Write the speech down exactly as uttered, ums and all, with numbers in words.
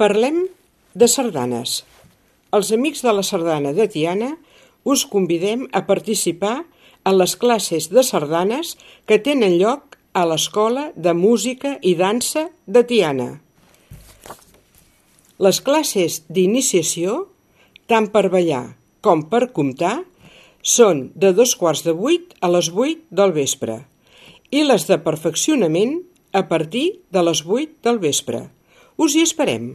Parlem de sardanes. Els amics de la sardana de Tiana us convidem a participar en les classes de sardanes que tenen lloc a l'Escola de Música i Dansa de Tiana. Les classes d'iniciació, tant per ballar com per comptar, són de dos quarts de vuit a les vuit del vespre i les de perfeccionament a partir de les vuit del vespre. Us hi esperem!